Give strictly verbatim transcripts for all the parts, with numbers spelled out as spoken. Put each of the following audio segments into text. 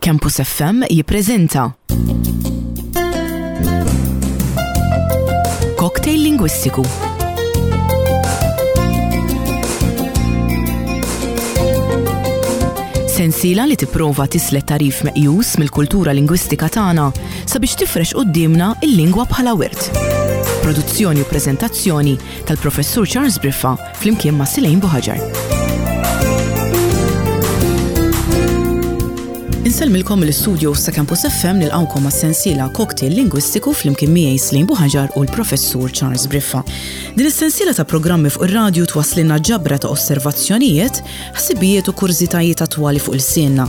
Campus F M jippreżenta Cocktail Lingwistiku. Sensiela li tipprova tislet tarif meqjus mill-kultura lingwistika tagħna sabiex tifrex quddiemna il-lingwa bħala wirt. Produzzjoni u preżentazzjoni tal-Professur Charles Briffa flimkien ma' Silejn Buħaġar. Insellmilkom mill-istudios ta' Campus F M, nilqawkom għas sensiela Cocktail Lingwistiku flimkien miegħi Slejn Buħaġar u l-Professur Charles Briffa. Din is-sensiela ta' programmi fuq ir-radju twasslilna ġabra ta' osservazzjonijiet, ħsibijiet u kurżitajiet attwali fuq ilsienna.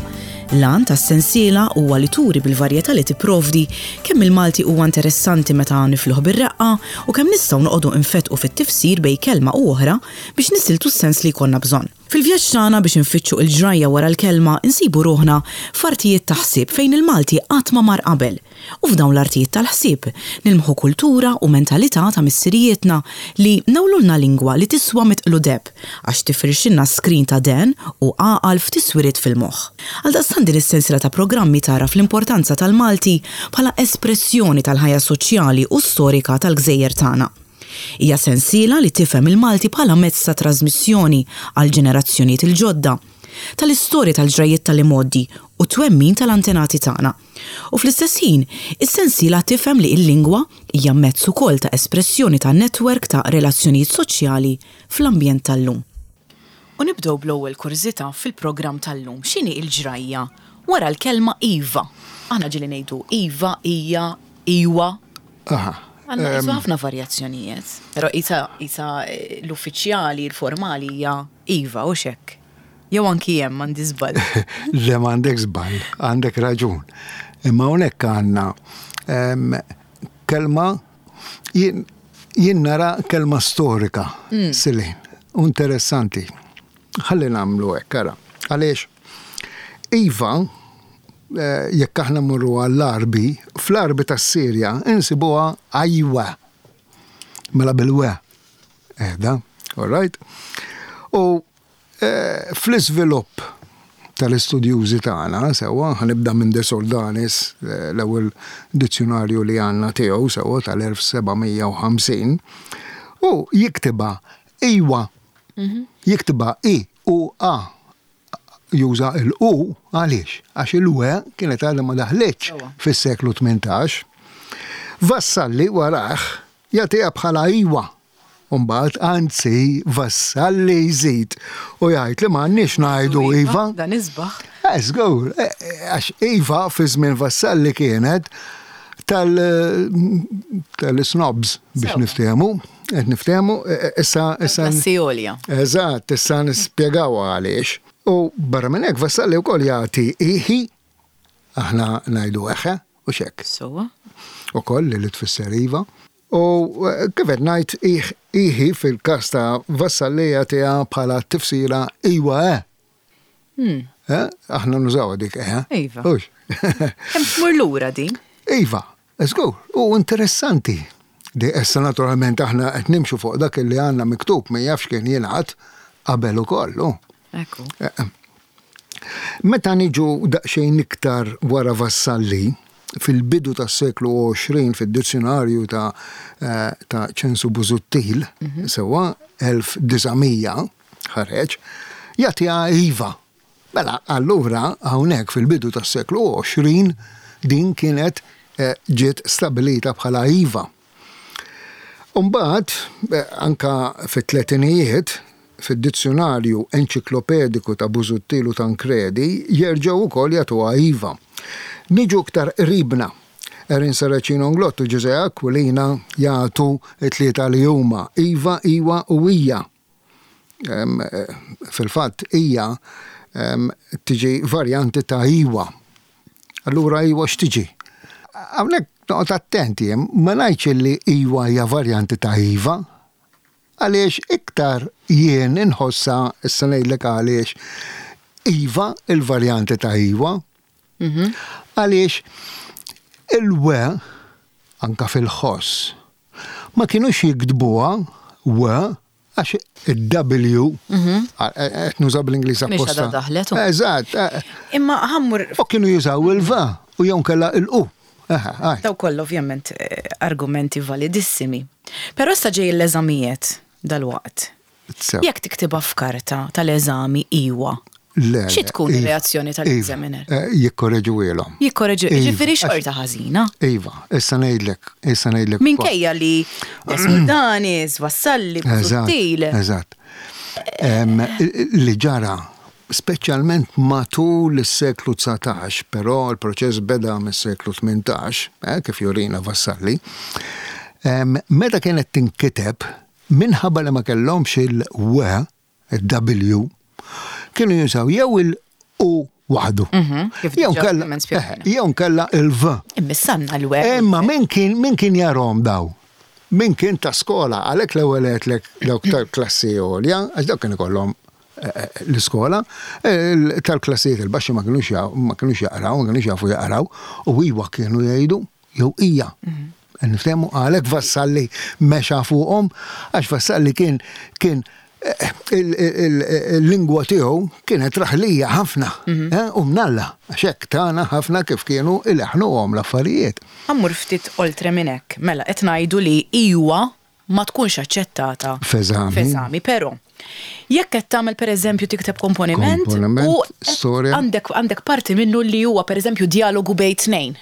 L-għan tas-sensiela huwa li turi bil-varjetà li tipprovdi kemm il-Malti huwa interessanti meta nifluh bir-reqqa u kemm nistgħu noqogħdu infetqu fit-tifsir bejn kelma u oħra biex nisiltu s-sens li jkollna bżonn. Fil-vjaġġ tagħna biex infittxu il-ġrajja wara l-kelma, insibu ruħna f'artijiet ta' ħsieb fejn il-Malti qatt ma mar qabel. U f'dawn l-artijiet tal-ħsieb nilmħu kultura u mentalità ta' missirijietna li newlulna lingwa li tiswa mitqlu deheb għax tifrixilna skrin ta' dehen u għaqal f'tiswiriet fil-moħħ. Għaldaqstant din is-sensiela ta' programmi tara fl-importanza tal-Malti bħala espressjoni tal-ħajja soċjali u storika tal-gżejjer tagħna. Hija sensiela li tifhem il-Malti bħala mezz ta' trasmissjoni għal ġenerazzjonijiet il-ġodda tal-istorja, tal-ġrajiet tal-imgħoddi u twemmin tal-antenati tagħna. U fl-istess ħin, is-sensiela tifhem li l-lingwa hija mezz ukoll ta' espressjoni ta' netwerk ta' relazzjonijiet soċjali fl-ambjent tal-lum. U nibdew bl-ewwel kurżità fil-programm tal-lum. X'inhi l-ġrajja wara l-kelma iva? Aħna ġieli ngħidu iva, ija, iwa. Aha. Għandna qisu ħafna varjazzjonijiet. Però isa, isa eh, l-uffiċjali, l-formali hija iva u hekk. Jew anki hemm għandi żball? Le, m'għandek żball, għandek raġun. Imma hawnhekk għandna em, kelma, jien jien nara kelma storika, mm. Silin, u interessanti. Ħalli nagħmlu hekk, ara. Għaliex iva, eh, jekk aħna mmorru għall-Arbi, fl-Arbi tas-Sirja insibuha ajwa. Mela bil-we. Eda, all right? U eh, fl-iżvilupp tal-istudjużi tagħna, sewwa, ħa nibda minn De Soldanis, eh, l-ewwel dizzjonarju li għandna tiegħu, sewwa, tal-elf seba' mija u ħamsin, u jiktibha iwa. Jiktibha I U A. Juża il-U għaliex? Għax il-we kienet għadha ma daħlitx Sewwa. fis-seklu tmintax. Vassalli warah jagħtiha bħala iwa. Umbagħad, anzi, Vassalli jżid u jgħid li m'għandniex ngħidu iva. Dan isbaħ. Eh, żgur, eh, eh, għax iva fi żmien Vassalli kienet tal tal-snobs biex Sewwa. niftehmu, qed niftehmu, eh, eh, issa issa Klassi għolja. Eżatt, issa nispjegaw għaliex. U barra minn hekk Vassalli wkoll jagħti iħi, aħna ngħidu eħe u xek. Sewwa. Ukoll li tfisser iva. U eh, kif qed ngħid, iħ- iħi fil-każ ta' Vassalli jagħtiha bħala tifsira iwa eh. Hmm. Eh? Aħna nużaw dik eh. Iva. Hux. Kemm tmur lura din? Iva, żgur, u interessanti. Di issa naturalment aħna qed nimxu fuq dak li għandna miktub, ma jafx kien jingħad qabel ukoll. U. Ekku. Eh, Meta niġu daqsxejn iktar wara Vassalli, fil-bidu tas-seklu għoxrin, fid-dizzjonarju ta' eh, ta' Ċensu Busuttil, sewwa, elf disa' mija ħareġ, jagħtiha iva. Mela, allura hawnhekk fil-bidu tas-seklu għoxrin din kienet eh, ġiet stabilita bħala iva. Umbagħad, eh, anka fit-tletinijiet, fid-dizzjonarju enċiklopediku ta' Busuttil u Tancredi, jerġgħu wkoll jagħtuha iva. Niġu iktar qribna. Erin Saracino Inglott u Ġużè Aquilina jagħtu it-tlieta li huma iva, iwa u ija. Em, eh, Fil-fatt ija em, tiġi varjanti ta' iwa. Allura iwa x'tiġi? Hawnhekk noqgħod attenti, jien, ma ngħidx li iwa hija varjanti ta' iva, għaliex iktar jien inħossa, issa ngħidlek għaliex, iva il-varjanti ta' iwa, għaliex il-we anka fil-ħoss ma kienux jiktbuha we. Għax il-W, qed nuża bl-Ingliż Mhix apposta. għadha daħlet, u. Eżatt. eh, Imma ħa mmur U kienu jużaw il-V u jew kella il-U. Aha, għaj. Daw kollha ovvjament eh, argumenti validissimi. Però issa ġej l-eżamijiet dal-waqt. Sew. Jekk tiktibha f'karta tal-eżami iwa, Le, xi le, tkun iva, ir-reazzjoni tal-examiner? Iva, eh, Jikkorreġuhielhom. Jikkoreġu, Iva, ġifieri għax- xorta ħażina. Iva, issa ngħidlek, issa ngħidlek. Minkejja li Soldanis, Vassalli, Eżatt, Busuttil. eżatt. Em, Li ġara, speċjalment matul is-seklu dsatax, però l-proċess beda mis-seklu tmintax, eh, kif jurina Vassalli, em, meta kienet tinkiteb, minħabba li ma kellhomx il-W, il-W, kienu jużaw jew il-U waħdu. Mhm, kif Jew diġà kella- ovvjament spjegajna. eh, jew kella il-V. Imma sanna l-web. Imma min kien min kien jarahom daw? Min kien ta' skola, għalhekk l-ewwel għedtlek dawk tal-klassi għolja, għax dawk kien ikollhom eh, eh, l-iskola, eh, tal-klassijiet il-baxxi ma kienux ja- ma kienux jaqraw, ma kienux jafu jaqraw, u iwa kienu jgħidu jew ija. Niftehmu għalhekk Vassalli mexa fuqhom, għax Vassalli kien kien eh, il- il- il-lingwa tiegħu kienet raħlija ħafna, eh, u mnalla, għax hekk tagħna ħafna kif kienu ileħnuhom l-affarijiet. Ħa mmur ftit oltre minn hekk. Mela qed ngħidu li iwa ma tkunx aċċettata F'eżami. F'eżami, però jekk qed tagħmel pereżempju tikteb komponiment, Komponiment, u qed storja. għandek għandek parti minnu li huwa pereżempju dialogu bejn tnejn.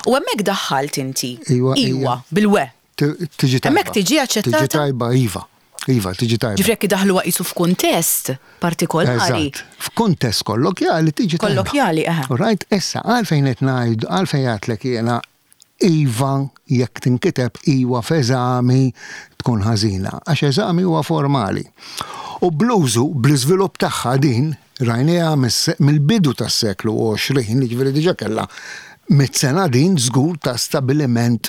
U hemmhekk daħħalt inti Iwa, iwa ija. bil-we. Ti- Tiġi tajba. Hemmhekk tiġi aċċettata? Tiġi tajba, iva. Iva, tiġi tajba. Ġifieri jekk idaħluha qisu f'kuntest partikolari. Eżatt. F'kuntest kollokjali tiġi tajba. Kollokjali, eħe. Right, issa, għalfejn qed ngħid, għalfejn għedtlek jiena iva jekk tinkiteb iwa f'eżami tkun ħażina, għax eżami huwa formali. U bl-użu, bl-iżvilupp tagħha din, rajniha mis- mill-bidu tas-seklu għoxrin, jiġifieri diġà kellha mitt sena din żgur ta' stabiliment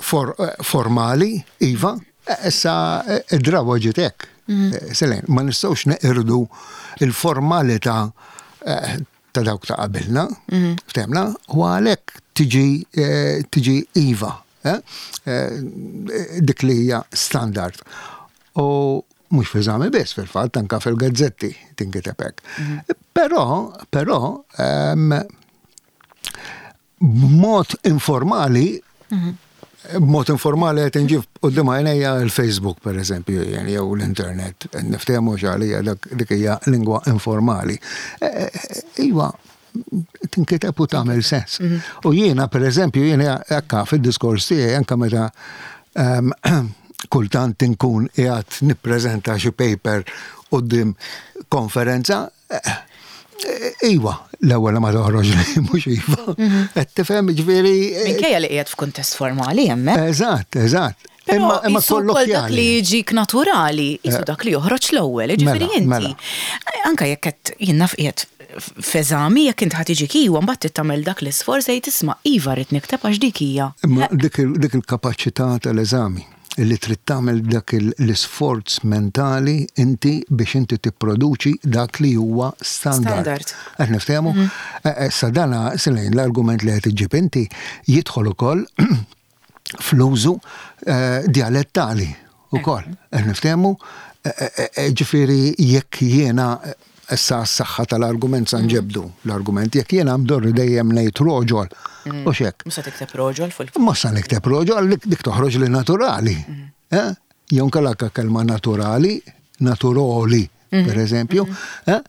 for, eh, formali, iva, eh, issa eh, id-drawa ġiet hekk. Eh, Selene, ma nistgħux neqirdu il-formalità eh, ta' dawk ta' qabilna, ftehmna, u għalhekk tiġi eh, tiġi iva, eh, eh, dik li hija standard. U mhux f'eżami biss fil-fatt anka fil-gazzetti tinkiteb hekk. Però, però, ehm, b'mod informali, b'mod informali qed inġib quddiem għajnejja il-Facebook per eżempju, jien, jew l-internet, niftehmu għalija dak dik hija lingwa informali. Eh, eh, Iva, tinkiteb u tagħmel sens. U jiena per eżempju, jiena hekka fid-diskors tiegħi anke meta ehm, kultant inkun qiegħed nippreżenta xi paper quddiem konferenza, eh, Iwa, l-ewwel ma toħroġ li mhux iva. Qed tifhem ġifieri. eh, Minkejja li qiegħed f'kuntest formali hemmhekk. Eżatt, eżatt. Però Imma imma qisu wkoll dak li kollokjali. jiġik naturali, qisu dak li joħroġ l-ewwel, jiġifieri Mela, inti. mela. Anka jekk qed jien naf qiegħed f'eżami jekk int ħa tiġik iwa mbagħad trid tagħmel dak l-isforz jgħid isma' iva rrid nikteb għax dik hija. Imma dik il- dik il-kapaċità tal-eżami li trid tagħmel dak il- l-isforz mentali inti biex inti tipproduċi dak li huwa standard. Standard. Qed niftehmu? Eh, Issa dana Selene l-argument li qed iġġib inti jidħol ukoll fl-użu eh, dialettali ukoll. Qed niftehmu? Eh, eh, eh, Ġifieri jekk jiena eh, issa s-saħħa tal-argument sa nġebdu l-argument jekk jiena mdorri dejjem ngħid roġol u xek. Mhux se tikteb roġol fuq Ma sa nikteb roġol, dik dik toħroġ li naturali. Eh? Jew nkella kelma naturali, naturoli, per eżempju. Eh?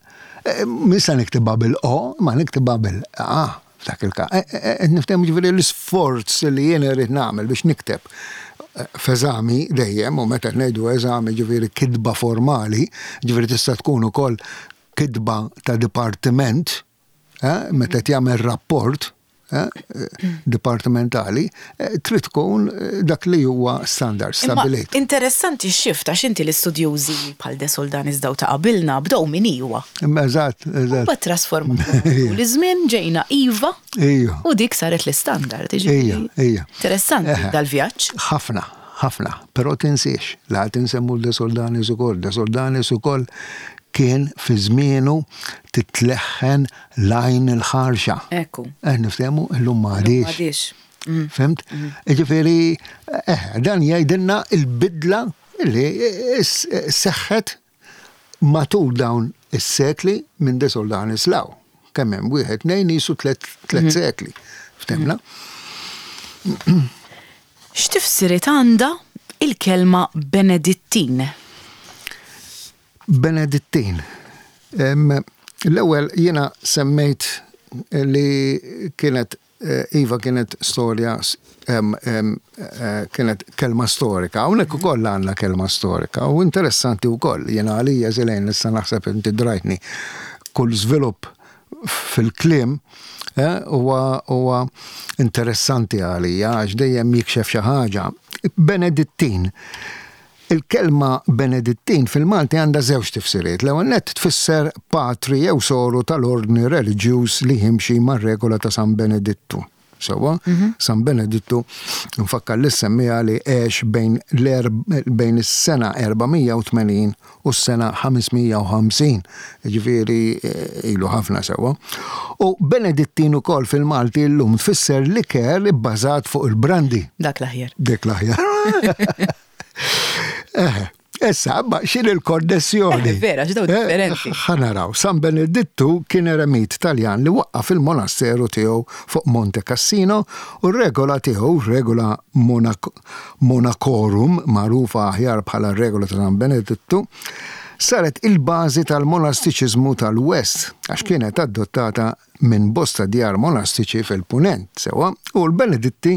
Eh, Min sa niktibha bil-O, ma niktibha bil-A. F'dak il-ka. Eh, eh, eh, Niftehmu ġifieri l-isforz li jien irrid nagħmel biex nikteb eh, f'eżami dejjem, u meta ngħidu eżami ġifieri kitba formali, ġifieri tista' tkun ukoll kitba ta' dipartiment, eh, meta jagħmel rapport eh, dipartimentali, eh, trid tkun eh, dak li huwa standard Imma stabilit. interessanti x-shift għax inti l-istudjużi bħal De Soldanis daw ta' qabilna bdew minn iwa. Imma eżatt, eżatt. Ba trasformaw. L-żmien ġejna iva Ija. u dik saret l-istandard. jiġifieri Ija, ija. Interessanti Eħe. dal-vjaġġ. Ħafna, ħafna, però tinsiex, la tinsemmu De Soldanis ukoll, De Soldanis ukoll kien fi żmienu titleħħen l-għajn il-ħarxa. Ekku. Eh, niftehmu illum ma għadix. Għadix. Fhimt? Ġifieri, eh, dan jgħidilna il-bidla Illi seħħet matul dawn is-sekli minn De Soldanis 'l hawn. Kemm hemm wieħed, tnejn, jisu tliet tliet sekli. Ftemna? X'tifsiriet għandha il-kelma Benedittin? Benedittin. Em, L-ewwel jiena semmejt li kienet eh, Iva, kienet storja em, em, eh, kienet kelma storika. Hawnhekk ukoll għandna kelma storika u interessanti wkoll. Jiena għalija żilejn issa naħseb inti drajtni kull żvilupp fil-kliem eh, huwa huwa interessanti għalija għax dejjem jikxef xi ħaġa. Benedittin. Il-kelma Benedittin fil-Malti għandha żewġ tifsiriet. L-ewwel nett tfisser patri jew soru tal-ordni reliġjuż li jimxi mar-regola ta' San Benedittu. Sewwa, San Benedittu nfakkar li semmija li għex bejn l-erb- bejn is-sena erba' mija u tmenin u s-sena ħames mija u ħamsin. Ġifieri eh, ilu ħafna, sewwa. U Benedittin ukoll fil-Malti llum tfisser liker ibbażat fuq il-brandi. Dak l-aħjar. Dik l-aħjar. Eh, Issa, ma xin il-konnessjoni? Eh, vera, x'daw differenti. Ħa naraw, San Benedittu kien eremit Taljan li waqqaf il-monasteru tiegħu fuq Monte Cassino u r-regola tiegħu, regola Monac Monacorum, magħrufa aħjar bħala regola ta' San Benedittu, saret il-bażi tal-monastiċiżmu tal-West, għax kienet adottata minn bosta djar monastiċi fil-Punent, sewwa, u l-Beneditti,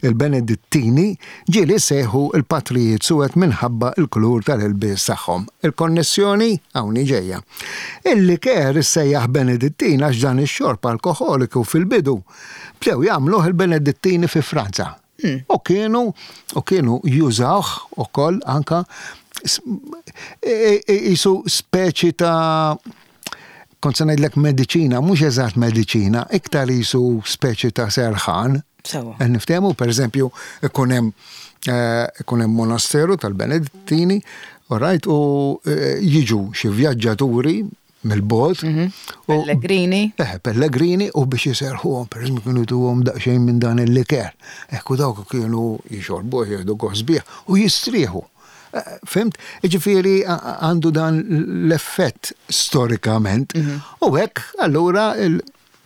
il-Benedittini ġieli sejħu il-patrijiet suwed minħabba il-kulur tal-ilbies tagħhom. Il-konnessjoni hawn ġejja. Il-liker issejjaħ Benedittin għax dan ix-xorb alkoholiku fil-bidu bdew jagħmluh il-Benedittini fi Franza. U kienu u kienu jużawh ukoll anka s- e- e- jisu speċi ta', kont se ngħidlek mediċina, mhux eżatt mediċina, iktar jisu speċi ta' serħan. Sewwa. Eh, Niftehmu, per eżempju, ikun hemm eh, ikun hemm monasteru tal-Benedittini, all right, u eh, jiġu xi vjaġġaturi mill-bogħod. u- Pellegrini. Eh, pellegrini u biex jiserħuhom, per eżempju, kienu jtuhom daqsxejn minn dan il-liker. Ekku dawk kienu jixorbu, jieħdu gost bih u jistrieħu. Eh, Fhimt? Ġifieri a- għandu dan l-effett storikament. U hekk allura il-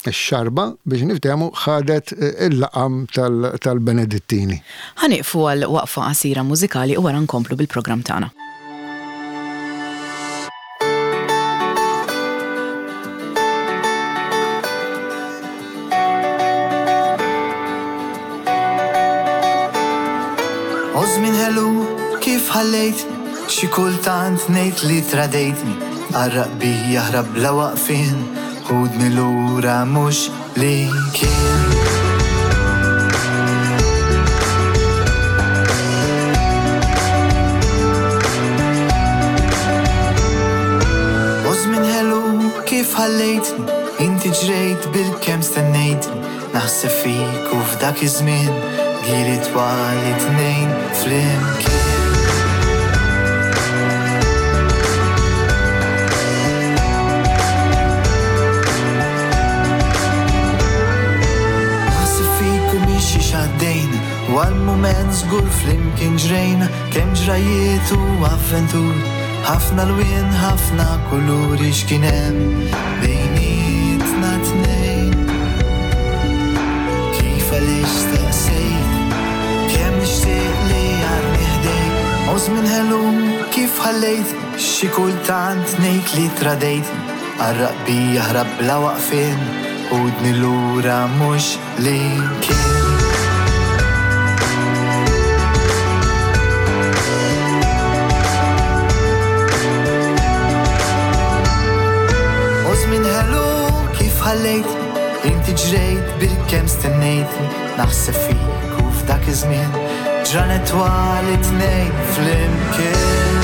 il-xarba biex niftehmu ħadet eh, il-laqam tal- tal-Benedittini. Ħa nieqfu għal waqfa qasira mużikali u wara nkomplu bil-programm tagħna. U żmien ħelu kif ħallejt, xi kultant ngħid li tradejtni. Għarraq bija jaħrab bla waqfien, ħudni lura mhux li kien. U żmien ħelu kif ħallejtni, inti ġrejt bil-kemm stennejtni. Naħseb fik u f'dak iż-żmien, gili twal it-tnejn flimkien. Naħseb fik u mixi xaddejn, u għal-moment żgur flimkien ġrejna, kemm ġrajiet u avventuri, ħafna lwien, ħafna kuluri, x'kien hemm bejnietna tnejn. Kif, għaliex staqsejt, kemm nixtieq li għadni ħdejk. U żmien ħelu kif ħallejt, xi kultant ngħid li tradejt. Għarraq bija jaħrab bla waqfien, ħudni lura mhux li kien. U żmien ħelu kif ħallejt, inti ġrejt bil-kemm stennejt. Naħseb fik u f'dak iż-żmien, ġranet twal it-tnejn flimkien.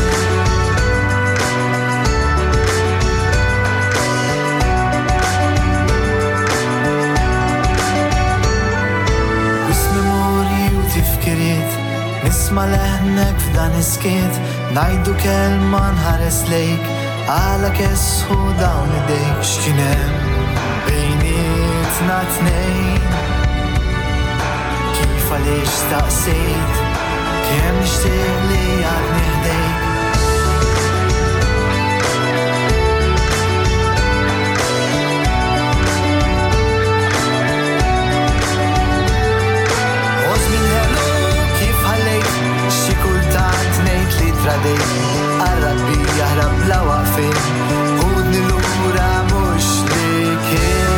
Wis memorji u tifkiriet, nisma' leħnek f'dan is-skiet, ngħidu kelma, nħares lejk, għala kesħu dawn idejk. X'kien hemm bejnietna tnejn? Kif, għaliex staqsejt, Kemm nixtieq li għadni ħdejk. U żmien ħelu kif ħallejt, xi kultant ngħid li tradejt. Qarraq bija ħrab bla waqfien, ħudni lura mhux li kien.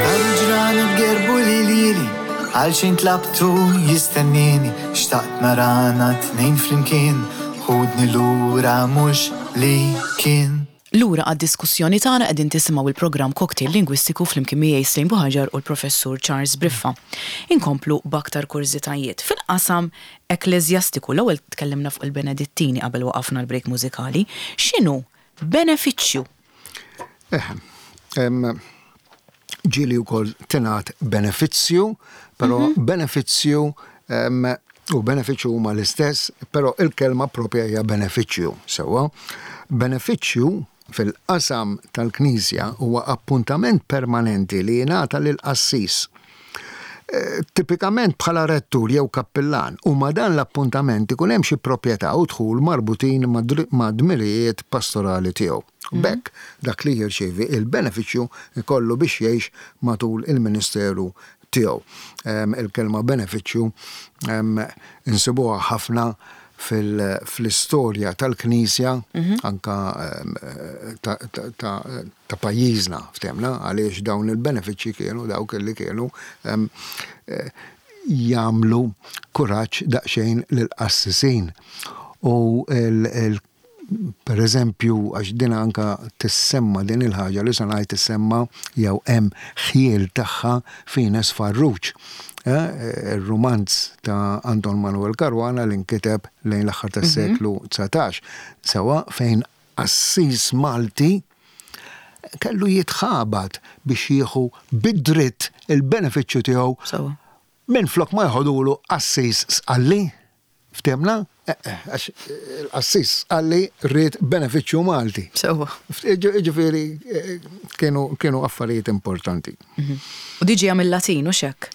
Daru ġranet gerbu li lili, għal xejn tlabtu jistennini, xtaqt narana tnejn flimkien, ħudni lura mhux li kien. Lura għad-diskussjoni tagħna qegħdin tisimgħu il-programm Cocktail Lingwistiku flimkien miegħi Celine Buhagiar u l-Professur Charles Briffa. Inkomplu b'aktar kurżitajiet fil-qasam ekkleżjastiku. L-ewwel tkellimna fuq il-Benedittini qabel waqafna l-break mużikali. X'inhu benefiċċju? Eh, em, ġieli wkoll tingħad benefizzju, però benefizzju em, u benefiċċju huma l-istess, però il-kelma propja hija benefiċċju. Sewwa, benefiċċju fil-qasam tal-Knisja huwa appuntament permanenti li jingħata lil qassis. Eh, Tipikament bħala rettur jew kappillan, u ma dan l-appuntament ikun hemm xi proprjetà u dħul marbutin ma' dri- ma' dmirijiet pastorali tiegħu. B'hekk dak li jirċievi il-benefiċċju ikollu biex jgħix matul il-ministeru tiegħu. Em, Il-kelma benefiċċju em, insibuha ħafna fil- fl-istorja tal-Knisja, anka em, ta' ta' ta' ta' pajjiżna, ftemna, għaliex dawn il-benefiċċji kienu dawk li kienu em, eh, jagħmlu kuraġġ daqsxejn lill-qassisin. U il, il, per eżempju, għax din anka tissemma din il-ħaġa li se ngħid tissemma jew hemm ħjiel tagħha f'Ines Farrugia. Eh, il-romanz ta' Anton Manuel Caruana li nkiteb lejn l-aħħar tas-seklu dsatax, sewa fejn qassis Malti kellu jitħabat biex jieħu bid-dritt il-benefiċċju tiegħu Sewa. minn flok ma jħodulu qassis Sqalli. Ftemna? Eh, eh, għax il-qassis Sqalli ried benefiċċju Malti. Sewa. Ġifieri, eh, kienu, kienu affarijiet importanti. U diġi mill-Latin, u xek?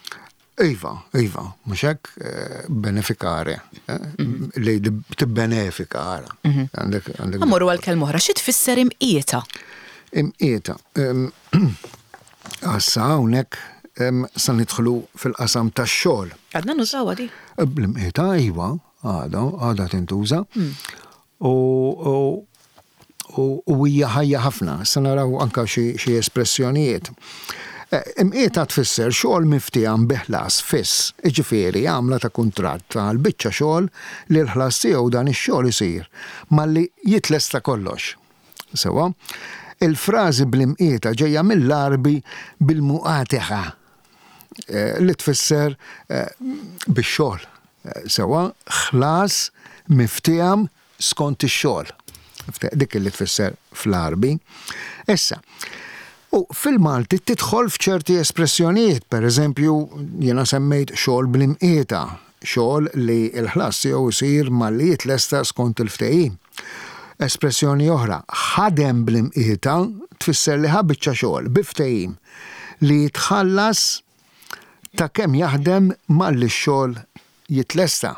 Iva, iva, mhux hekk, eh, beneficare, eh, li tibbenefika ara. Għandek, għandek Mmorru għal kelma oħra, xi tfisser imqieta? Imqieta. Em, Issa hawnhekk em, sa nidħlu fil-qasam tax-xogħol. Għadna nużawha di. L-imqieta iva, għada, għada tintuża. U, u, u, u hija ħajja ħafna, sa naraw anka xi xi espressjonijiet. Eh, Imqieta tfisser xogħol miftiehem bi ħlas fiss, jiġifieri għamla ta' kuntratt għal biċċa xogħol li l-ħlas tiegħu dan ix-xogħol isir malli jitlesta kollox. Sewa, il-frażi bl-imqieta ġejja mill-Għarbi bil-muqateħa, eh, li tfisser, eh, bix-xogħol. Eh, Sewa, ħlas miftiehem skont ix-xogħol. Dik li tfisser fl-Għarbi. Issa, u fil-Malti tidħol f'ċerti espressjonijiet, per eżempju, jiena semmejt xogħol bl-imqieta, xogħol li l-ħlas tiegħu jsir malli jitlesta skont il-ftehim. Espressjoni oħra, ħadem bl-imqieta tfisser li ħa biċċa xogħol bi ftehim li jitħallas ta' kemm jaħdem malli x-xogħol jitlesta.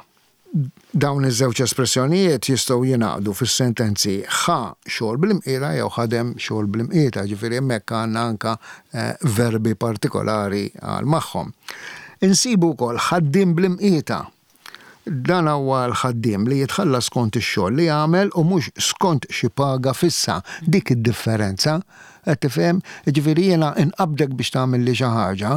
Dawn iż-żewġ espressjonijiet jistgħu jingħaqdu fis-sentenzi ħa xogħol bl-imqieta jew ħadem xogħol bl-imqieta, ġifieri hemmhekk għandna anka, eh, verbi partikolari għal magħhom. Insibu wkoll ħaddiem bl-imqieta. Dan huwa l-ħaddiem li jitħallas skont ix-xogħol li jagħmel u mhux skont xi paga fissa. Dik id-differenza, qed tifhem? Ġifieri jiena inqabdek biex tagħmel li xi ħaġa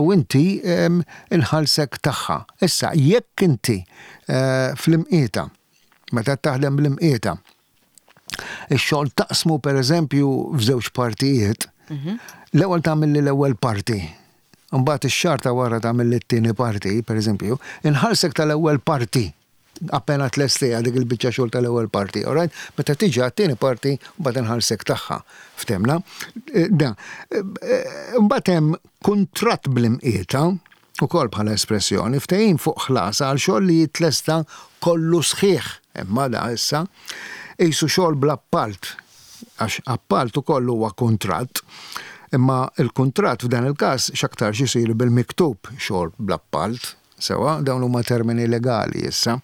u inti, em, inħallsek tagħha. Issa jekk inti, eh, fl-imqieta, meta taħdem bl-imqieta, ix-xogħol taqsmu pereżempju f'żewġ partijiet, Mhm. l-ewwel tagħmel li l-ewwel parti. Mbagħad ix-xahar ta' wara tagħmel li t-tieni parti, pereżempju, inħallsek tal-ewwel parti. Appena tlestija dik il-biċċa xogħol tal-ewwel parti, all right? Meta tiġi għat-tieni parti, mbagħad inħallsek tagħha. Ftemna? Eh, da. Eh, eh, mbagħad hemm kuntratt bl-imqieta, ukoll bħala espressjoni, ftehim fuq ħlas għal xogħol li jitlesta kollu sħiħ. Imma da issa qisu xogħol bl-appalt. Għax appalt ukoll huwa kuntratt, imma il-kuntratt f'dan il-każ x'aktarx isir bil-miktub, xogħol bl-appalt, sewa, dawn huma termini legali issa.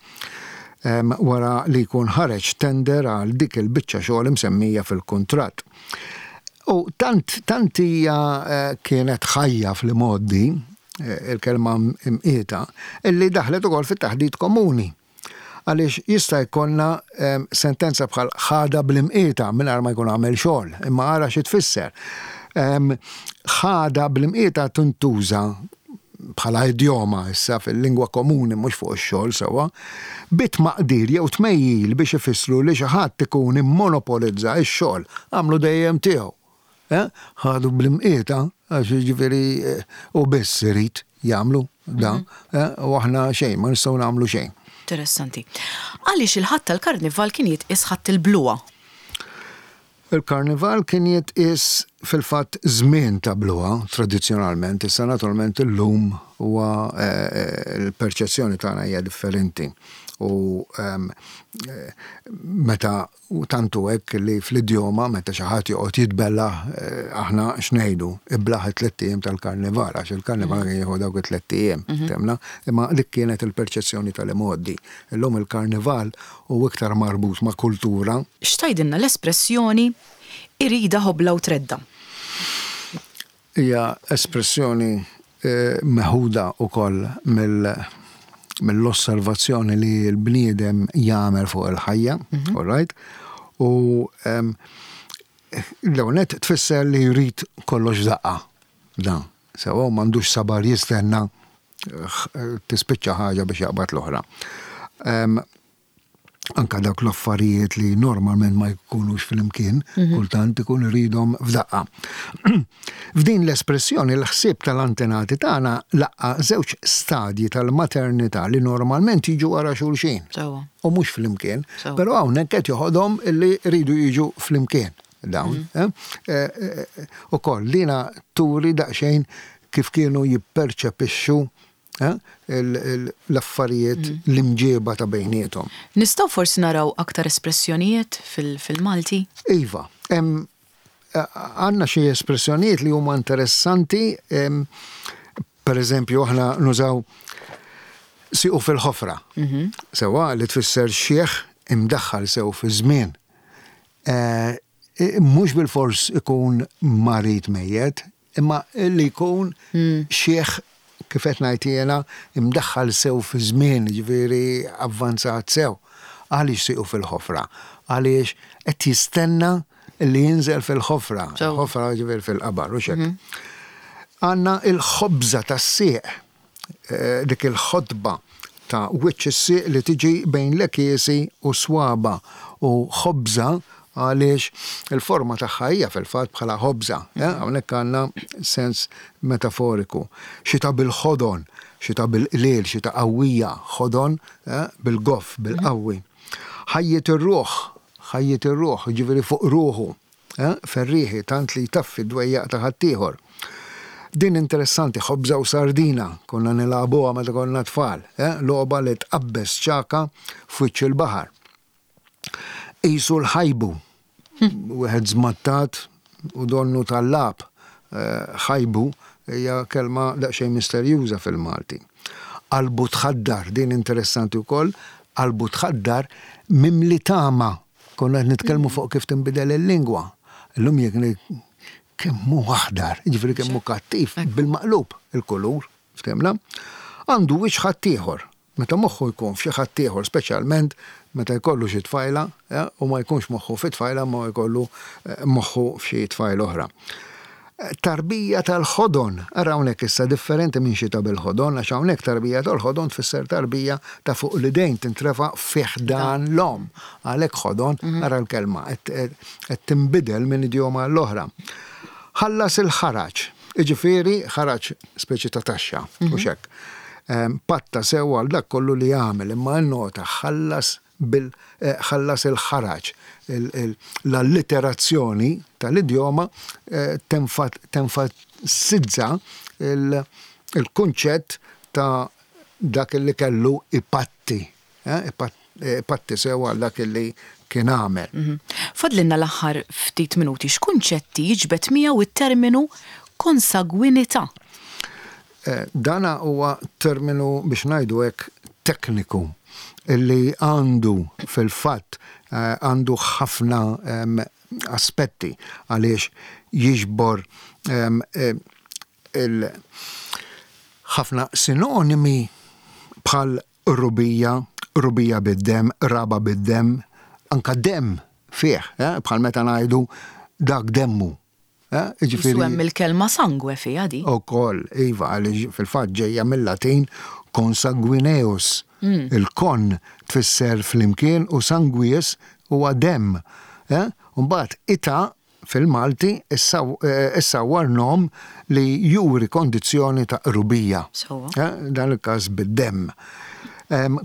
Em, wara li jkun ħareġ tender għal dik il-biċċa xogħol imsemmija fil-kuntratt. U tant, tant hija eh, kienet ħajja fl-modi, eh, il-kelma imqieta, illi daħlet ukoll fit-taħdit komuni. Għaliex jista' jkollna em, sentenza bħal "ħada bl-imqieta" mingħajr ma jkun għamel xogħol, imma ara xi tfisser. Em, Ħada bl-imqieta tintuża bħala idjoma issa fil-lingwa komuni, mhux fuq ix-xogħol, sewwa, bit-maqdir jew tmejjil biex ifissru li xi ħadd ikun immonopolizza x-xogħol, għamlu dejjem tiegħu. Eh? Ħadu bl-imqieta, għax jiġifieri eh, u biss irid jagħmlu da, eh, u aħna xejn, ma nistgħu nagħmlu xejn. Interessanti. Għaliex il-Ħadd tal-Karnival kien jitqis Ħadd il-bluha? Il-karnival kien jitqis fil-fatt żmien ta' bluha tradizzjonalment, issa naturalment illum huwa eh, eh, il-perċezzjoni tagħna hija differenti. U ehm, eh, meta u tantu hekk li fl-idjoma meta xi ħadd joqgħod jitbella, eh, aħna x'ngħidu? "Iblaħ it-tlett ijiem tal-karnival", għax il-karnival kien jieħu dawk it-tlett ijiem, temna, imma dik kienet il-perċezzjoni tal-imgħoddi. Illum il-karnival hu iktar marbut ma' kultura. X'tgħidilna l-espressjoni "irida ħobla u tredda"? Hija espressjoni eh, meħuda ukoll mill mill-osservazzjoni li l-bniedem jagħmel fuq il-ħajja, all right? U em, l-ewwel tfisser li jrid kollox daqqa. Dan, sewa, u m'għandux sabar jistenna eh, tispiċċa ħaġa biex jaqbad l-oħra. Em, anka dawk l-affarijiet li normalment ma jkunux fl-imkien, kultant ikun iridhom f'daqqa. F'din l-espressjoni l-ħsieb tal-antenati tagħna laqqa żewġ stadji tal-maternità li normalment jiġu wara xulxin. Sewwa. U mhux fl-imkien, Sewwa. però hawnhekk qed joħodhom illi rridu jiġu fl-imkien dawn. eh? Eh, eh, Ukoll lina turi daqsxejn kif kienu jipperċepixxu eh, il- il- l-affarijiet, l-imġieba ta' bejniethom. Nistgħu forsi naraw aktar espressjonijiet fil- fil-Malti? Iva, em, għandna xi espressjonijiet li huma interessanti, em, per eżempju, aħna nużaw "siqu fil-ħofra". Sewa, li tfisser xieħ imdaħħal sew fi żmien. Eh, Mhux bil-fors ikun marid, mejjet, imma li jkun xieħ, kif qed ngħid jiena, imdaħħal sew fi żmien, ġifieri avvanzat sew. Għaliex siqu fil-ħofra? Għaliex qed jistenna li jinżel fil-ħofra. Sew. Ħofra ġifieri fil-qabar, u xek. Għandna il-ħobża tas-sieq, eh, dik il-ħotba ta' wiċċ is-sieq li tiġi bejn l-għekiesi u swaba, u ħobża għaliex il-forma tagħha hija fil-fatt bħala ħobża. eh, Hawnhekk għandna sens metaforiku. Xita bil-ħodon, xita bil-qliel, xita qawwija, ħodon eh, bil-goff, bil-qawwi. Ħajjet ir-ruħ, ħajjet ir-ruħ, ġifieri fuq ruħu, eh, ferriħi tant li jtaffi d-dwejjaq ta' ħaddieħor. Din interessanti, ħobża u sardina, konna nilagħbuha meta konna tfal, eh? Logħba li tqabbeż ċagħka f'wiċċ il-baħar. Isu l-ħajbu, wieħed żmattat u donnu tal-lab, eh, ħajbu hija kelma daqsxejn misterjuża fil-Malti. Qalbu tħaddar, din interessanti wkoll, qalbu tħaddar, mimli tama. Konna qed nitkellmu fuq kif tinbidel il-lingwa. Illum jekk ngħid "kemm hu aħdar", jiġifieri kemm hu kattiv, bil-maqlub il-kulur, ftemna. Għandu wiċċ ħaddieħor. Meta moħħu jkun f'xi ħaddieħor, speċjalment meta jkollu xi tfajla, eh, u ma jkunx moħħu fi tfajla, ma jkollu eh, moħħu f'xi tfajla oħra. Tarbija tal-ħodon, ara hawnhekk issa differenti minn xita bil-ħodon, għax hawnhekk tarbija tal-ħodon tfisser tarbija ta' fuq l-idejn tintrefa fih dan l-om. Għalhekk ħodon, ara l-kelma, qed tinbidel minn idjoma l-oħra. Ħallas il-ħaraġ, iġifieri ħaraġ speċi ta' taxxa, u xek. Patta sew għal dak kollu li jagħmel, imma n-nota ħallas bil eh, ħallas il-ħaraġ. L-allitterazzjoni tal-idjoma eh, tenfasizza il-kunċett ta' dak li kellu ipatti, eh, patti sew għal dak li kien għamel. Mhm. Fadlinna l-aħħar ftit minuti, x'kunċetti jiġbed miegħu it-terminu konsagwinità? Eh, dana huwa terminu, biex ngħidu hekk, tekniku illi għandu fil-fatt eh, għandu ħafna aspetti għaliex jiġbor eh, il ħafna sinonimi bħal qrubija, qrubija bid-dem, qraba bid-dem, anka dem fih, eh, bħal meta ngħidu dak demmu. Eh, jiġifieri hemm il-kelma sangue fiha di. Ukoll, iva, għaliex fil-fatt ġejja mill-Latin consanguineus. Mm. Il-kon tfisser flimkien u sanguis huwa dem. Eh? Mbagħad ita fil-Malti issawwar nom li juri kondizzjoni ta' qrubija. Eh, dan il-każ bid-dem.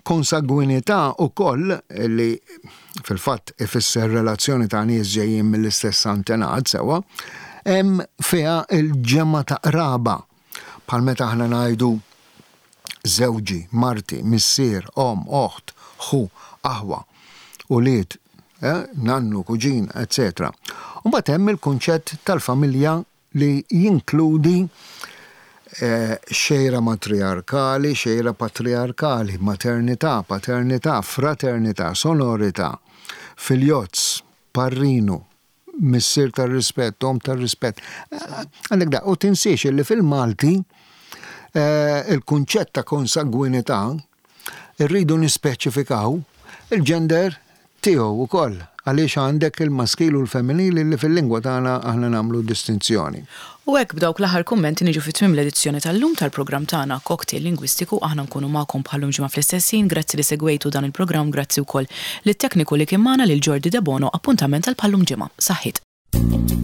Konsagwinità ukoll li fil-fatt ifisser relazzjoni ta' nies ġejjin mill-istess antenat sewa, hemm fiha il-ġemma ta' qraba. Bħal meta aħna ngħidu żewġi, marti, missier, om, oħt, ħu, aħwa, ulied, eh, nannu, kuġin, eċċetera. U mbagħad hemm il-kunċett tal-familja li jinkludi eh, xejra matriarkali, xejra patriarkali, maternità, paternità, fraternità, sonorità, filjozz, parrinu, missier tar-rispett, om tar-rispett. Għandek da, u tinsiex li fil-Malti eh, il-kunċett ta' konsangwinità irridu nispeċifikaw il-gender tiegħu wkoll, għaliex għandek il-maskil u l-femminili li fil-lingwa tagħna aħna nagħmlu distinzjoni. U hekk, b'dawk l-aħħar kummenti, niġu fi tmiem l-edizzjoni tal-lum tal-programm tagħna Cocktail Lingwistiku. Aħna nkunu magħkom bħal-lum ġimgħa fl-istess ħin. Grazzi li segwejtu dan il-programm, grazzi wkoll lit-tekniku li kien magħna, lil Jordi Debono. Appuntament għal bħal-lum ġimgħa. Saħħit.